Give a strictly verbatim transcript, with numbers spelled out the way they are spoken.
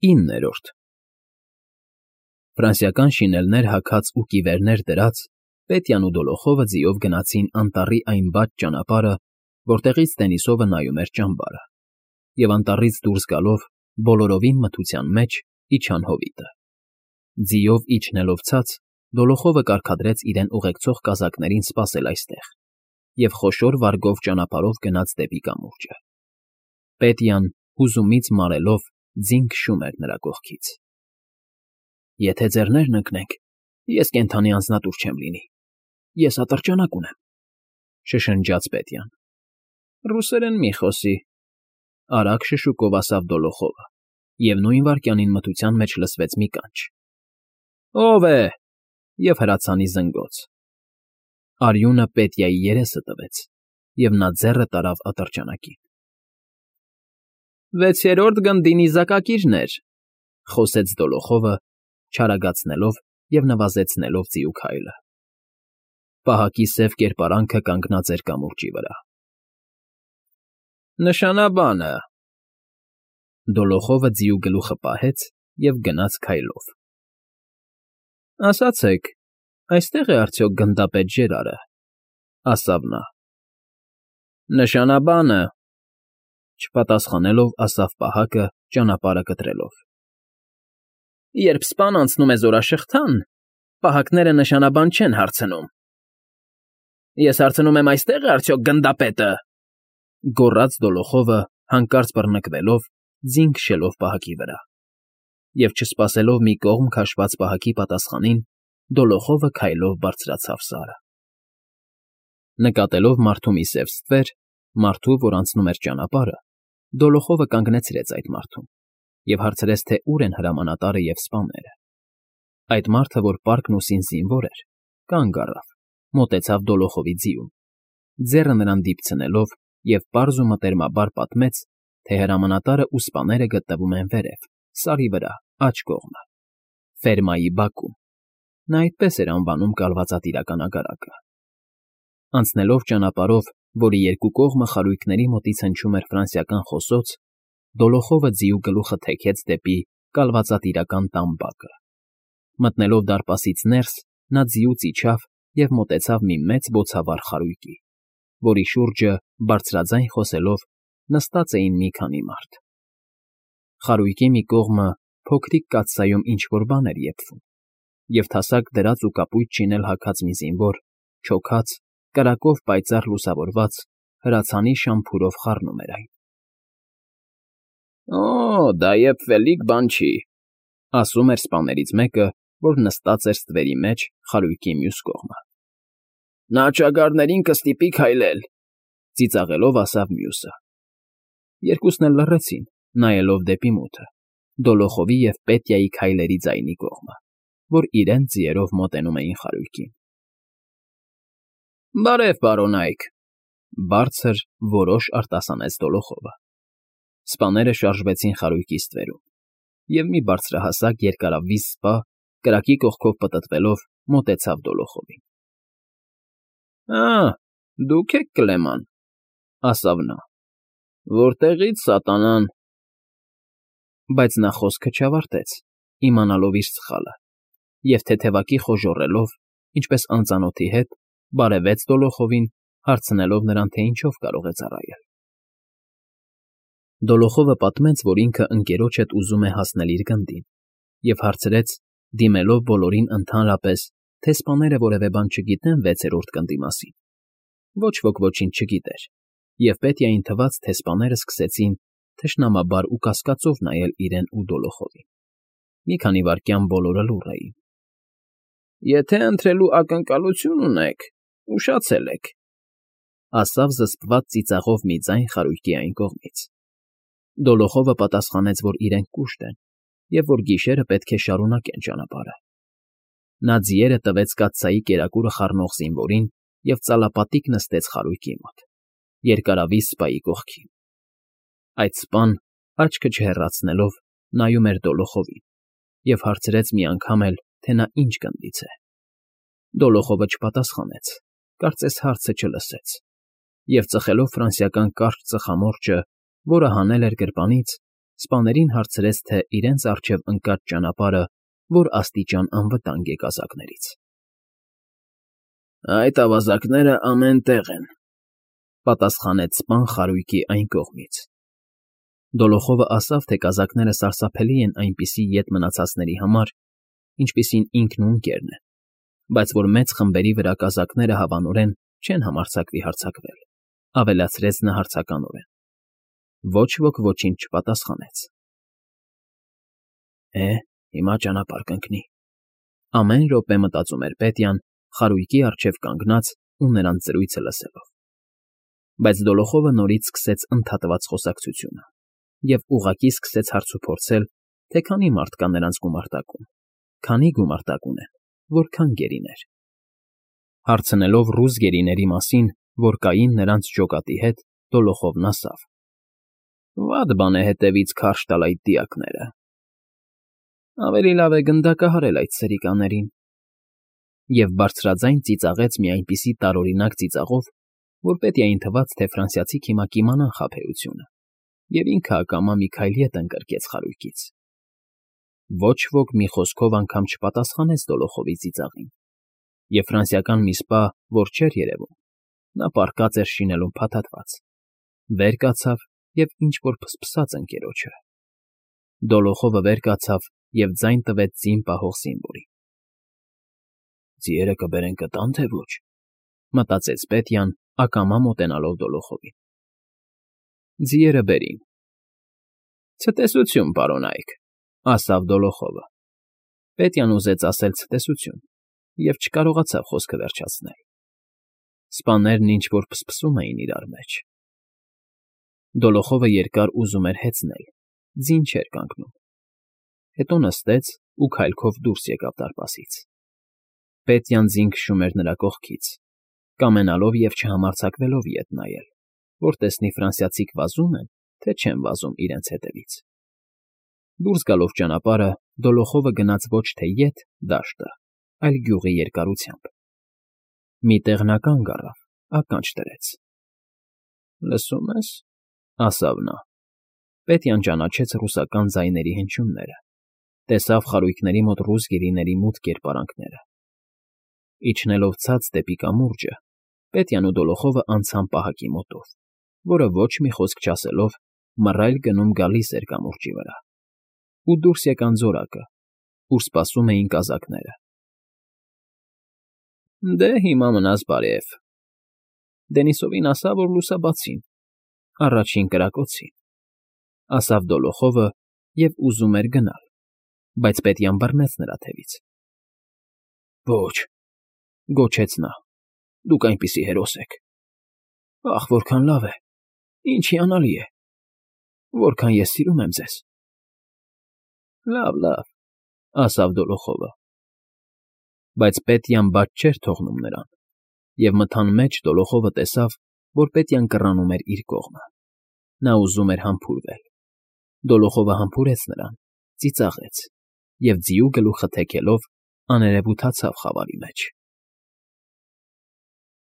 Իններորդ Ֆրանսիական շինելներ հագած ու կիվերներ դրած, Պետյան ու Դոլոխովը ձիով գնացին անտառի այն բաց ճանապարհը, որտեղից Դենիսովը նայում էր ճամբարը, և անտառից դուրս գալով, բոլորովին մթության մեջ իջան հովիտը։ Ձիով իջնելով ցած, Դոլոխովը կարգադրեց իրեն ուղեկցող կազակներին սպասել այստեղ և խոշոր վարգով ճանապարհով գնաց դեպի կամուրջը։ Պետյան, հուզումից մարելով, ձին քշում էր նրա կողքից։ Եթե ձեռներն ընկնենք, ես կենդանի անձնատուր չեմ լինի, ես ատրճանակ ունեմ,֊ շշնջաց Պետյան։ Ռուսերեն մի խոսի,֊ արագ շշուկով ասավ Դոլոխովը, և նույն վայրկյանին մթության մեջ լսվեց մի կանչ. Ո՞վ է… և հրացանի զնգոց։ Արյունը Պետյայի երեսը տվեց, և նա ձեռը տարավ ատրճանակին։ Վեցերորդ գնդի նիզակակիրներ,֊ խոսեց Դոլոխովը, չարագացնելով և նվազեցնելով ձիու քայլը։ Պահակի սև կերպարանքը կանգնած էր կամուրջի վրա։ Նշանաբանը,֊ Դոլոխովը ձիու գլուխը պահեց և գնաց քայլով։ Ասացեք, այստե՞ղ է արդյոք գնդապետ Ժերարը,֊ ասավ նա։ Նշանաբանը,֊ չպատասխանելով ասավ պահակը, ճանապարհը կտրելով։ Երբ սպան անցնում է զորաշղթան, պահակները նշանաբան չեն հարցնում։ Ես հարցնում եմ, այստե՞ղ է արդյոք գնդապետը,֊ գոռաց Դոլոխովը, հանկարծ բռնկվելով, ձին քշելով պահակի վրա։ Եվ չսպասելով մի կողմ քաշված պահակի պատասխանին, Դոլոխովը քայլով բարձրացավ Սարը։ Նկատելով մարդու մի սև ստվեր, մարդու, որ անցնում էր ճանապարհը, Դոլոխովը կանգնեցրեց այդ մարդուն և հարցրեց, թե ուր են հրամանատարը և սպաները։ Այդ մարդը, որ պարկն ուսին զինվոր էր, կանգ առավ, մոտեցավ Դոլոխովի ձիուն, ձեռը նրան դիպցնելով և պարզ ու մտերմաբար պատմեց, թե հրամանատարն ու սպաները գտնվում են վերև, Սարի վրա, աջ կողմը, ֆերմայի բակում (նա այդպես էր անվանում կալվածատիրական ագարակը)։ Անցնելով ճանապարհով, որի երկու կողմը խարույկների մոտից հնչում էր ֆրանսիական խոսոց, Դոլոխովը ձիու գլուխը թեքեց դեպի կալվածատիրական տան բակը։ Մտնելով դարպասից ներս, նա ձիուց իջավ և մոտեցավ մի մեծ բոցավառ խարույկի, որի շուրջը, բարձրաձայն խոսելով, նստած էին մի քանի մարդ։ Խարույկի մի կողմը փոքրիկ կաթսայում ինչ֊որ բան էր եփվում, և թասակ դրած ու կապույտ շինել հագած մի զինվոր, չոքած, կրակով պայծառ լուսավորված, հրացանի շամփուրով խառնում էր այն։ Օ՜, դա եփվելիք բան չի,֊ ասում էր սպաներից մեկը, որ նստած էր ստվերի մեջ, խարույկի մյուս կողմը։ Նա ճագարներին կստիպի քայլել,֊ ծիծաղելով ասավ մյուսը։ Երկուսն էլ լռեցին, նայելով դեպի մութը, Դոլոխովի և Պետյայի քայլերի ձայնի կողմը, որ իրենց ձիերով մոտենում էին խարույկին։ Բարև, պարոնայք,֊ բարձր, որոշ արտասանեց Դոլոխովը։ Սպաները շարժվեցին խարույկի ստվերում, և մի բարձրահասակ երկարավիզ սպա, կրակի կողքով պտտվելով, մոտեցավ Դոլոխովին։ Ա՜, դուք եք Կլեման,֊ ասավ նա։ Որտեղի՞ց, սատանան… Բայց նա խոսքը չավարտեց, իմանալով իր սխալը, և թեթևակի խոժոռելով, ինչպես անծանոթի հետ, բարևեց Դոլոխովին, հարցնելով նրան, թե ինչով կարող է ծառայել։ Դոլոխովը պատմեց, որ ինքը ընկերոջ հետ ուզում է հասնել իր գնդին, և հարցրեց, դիմելով բոլորին ընդհանրապես, թե սպաները որևէ բան չգիտեն վեցերորդ գնդի մասին։ Ոչ ոք ոչինչ չգիտեր, և Պետյային թվաց, թե սպաներն սկսեցին թշնամաբար ու կասկածով նայել իրեն ու Դոլոխովին։ Մի քանի վայրկյան բոլորը լուռ էին։ Եթե ընտրելու ակնկալություն ունեք, ուշացել եք,֊ ասավ զսպված ծիծաղով մի ձայն խարույկի այն կողմից։ Դոլոխովը պատասխանեց, որ իրենք կուշտ են և որ գիշերը պետք է շարունակեն ճանապարհը։ Նա ձիերը տվեց կաթսայի կերակուրը խառնող զինվորին և ծալապատիկ նստեց խարույկի մոտ, երկարավիզ սպայի կողքին։ Այդ սպան, աչքը չհեռացնելով, նայում էր Դոլոխովին և հարցրեց մի անգամ էլ, թե նա ինչ գնդից է։ Դոլոխովը չպատասխանեց, կարծես հարցը չլսեց, և ծխելով ֆրանսիական կարճ ծխամորճը, որը հանել էր գրպանից, սպաներին հարցրեց, թե իրենց առջև ընկած ճանապարհը որ աստիճան անվտանգ է կազակներից։ ֊ Այդ ավազակները ամեն տեղ են,֊ պատասխանեց սպան խարույկի այն կողմից։ Դոլոխովը ասավ, թե կազակները սարսափելի են այնպիսի ետ մնացածների համար, ինչպիսին ինքն ու Ընկերն են, բայց որ մեծ խմբերի վրա կազակները հավանորեն չեն համարձակվի հարձակվել,֊ ավելացրեց նա հարցականորեն։ Ոչ ոք ոչինչ չպատասխանեց։ Է, հիմա ճանապարհ կընկնի,֊ ամեն րոպե մտածում էր Պետյան, խարույկի առջև կանգնած ու նրանց զրույցը լսելով։ Բայց Դոլոխովը նորից սկսեց ընդհատված խոսակցությունը և ուղղակի սկսեց հարցուփորձել, թե քանի մարդ կա նրանց գումարտակում, քանի գումարտակ ունեն, որքան գերիներ։ Հարցնելով ռուս գերիների մասին, որ կային նրանց ջոկատի հետ, Դոլոխովն ասավ. «Վատ բան է հետևից քարշ տալ այդ դիակները։ Ավելի լավ է գնդակահարել այդ սրիկաներին», և բարձրաձայն ծիծաղեց մի այնպիսի տարօրինակ ծիծաղով, որ Պետյային թվաց, թե ֆրանսիացի հիմա կիմանան խաբեությունը, և ինքը ակամա մի քայլ ետ ընկրկեց խարույկից։ Ոչ ոք մի խոսքով անգամ չպատասխանեց Դոլոխովի ծիծաղին, և ֆրանսիական մի սպա, որ չէր երևում, նա պառկած էր շինելուն փաթաթված, վեր կացավ և ինչ֊որ փսփսաց ընկերոջը։ Դոլոխովը վեր կացավ և ձայն տվեց ձին պահող զինվորին։ «Ձիերը կբերեն կտա՞ն, թե ոչ», մտածեց Պետյան, ակամա մոտենալով Դոլոխովին։ «Ձիերը բերին»։ «Ցտեսություն, պարոնայք», ասավ Դոլոխովը։ Պետյան ուզեց ասել ցտեսություն և չկարողացավ խոսքը վերջացնել։ Սպաներն ինչ֊որ փսփսում էին իրար մեջ։ Դոլոխովը երկար ուզում էր հեծնել, ձին չէր կանգնում։ Հետո նստեց ու քայլքով դուրս եկավ դարպասից։ Պետյան ձին քշում էր նրա կողքից, կամենալով և չհամարձակվելով ետ նայել, որ տեսնի ֆրանսիացիք վազում են, թե չեն վազում իրենց հետևից։ Դուրս գալով ճանապարհը, Դոլոխովը գնաց ոչ թե ետ դաշտը, այլ գյուղի երկարությամբ։ Մի տեղ նա կանգ առավ, ականջ դրեց։ «Լսո՞ւմ ես,֊ ասավ նա։ Պետյան ճանաչեց ռուսական ձայների հնչյունները, տեսավ խարույկների մոտ ռուս գերիների մութ կերպարանքները։ Իջնելով ցած դեպի կամուրջը, Պետյանն ու Դոլոխովը անցան պահակի մոտով, որը ոչ մի խոսք չասելով մռայլ գնում գալիս էր կամուրջի վրա, ու դուրս եկան զորակը, ուր սպասում էին կազակները։ «Դե, հիմա մնաս բարև,֊ Դենիսովին ասա, որ լուսաբացին, առաջին կրակոցին,֊ ասավ Դոլոխովը և ուզում էր գնալ, բայց Պետյան բռնեց նրա թևից։ «Ոչ,֊ գոչեց նա,֊ դուք այնպիսի հերոս եք… Ախ, որքան լավ է, ինչ հիանալի է… Որքան ես սիրում եմ ձեզ…»։ «Լավ, լավ,֊ ասավ Դոլոխովը։ Բայց Պետյան բաց չէր թողնում նրան, և մթան մեջ Դոլոխովը տեսավ, որ Պետյան կռանում էր իր կողմը։ Նա ուզում էր համբուրվել։ Դոլոխովը համբուրեց նրան, ծիծաղեց և, ձիու գլուխը թեքելով, աներևութացավ խավարի մեջ։